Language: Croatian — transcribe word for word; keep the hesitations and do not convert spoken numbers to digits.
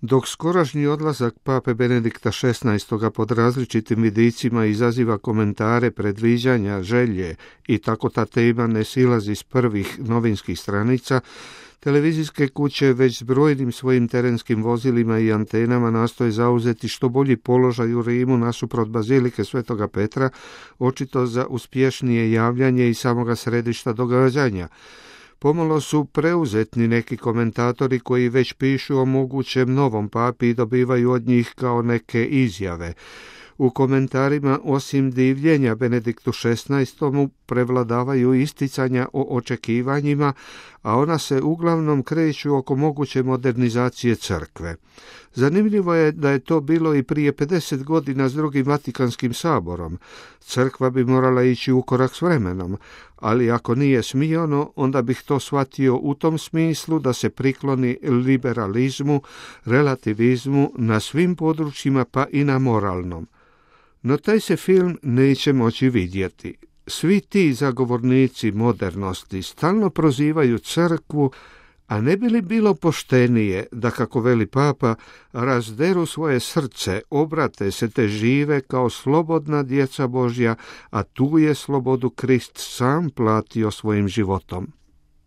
Dok skorašnji odlazak pape Benedikta šesnaestog pod različitim vidicima izaziva komentare, predviđanja, želje i tako ta tema ne silazi s prvih novinskih stranica, televizijske kuće već s brojnim svojim terenskim vozilima i antenama nastoje zauzeti što bolji položaj u Rimu nasuprot bazilike Svetoga Petra, očito za uspješnije javljanje i samoga središta događanja. Pomalo su preuzetni neki komentatori koji već pišu o mogućem novom papi i dobivaju od njih kao neke izjave. U komentarima, osim divljenja Benediktu šesnaestom prevladavaju isticanja o očekivanjima, a ona se uglavnom kreću oko moguće modernizacije crkve. Zanimljivo je da je to bilo i prije pedeset godina s drugim Vatikanskim saborom. Crkva bi morala ići u korak s vremenom, ali ako nije smijano, onda bih to shvatio u tom smislu da se prikloni liberalizmu, relativizmu na svim područjima pa i na moralnom. No taj se film neće moći vidjeti. Svi ti zagovornici modernosti stalno prozivaju crkvu, a ne bi li bilo poštenije da, kako veli papa, razderu svoje srce, obrate se te žive kao slobodna djeca Božja, a tu je slobodu Krist sam platio svojim životom.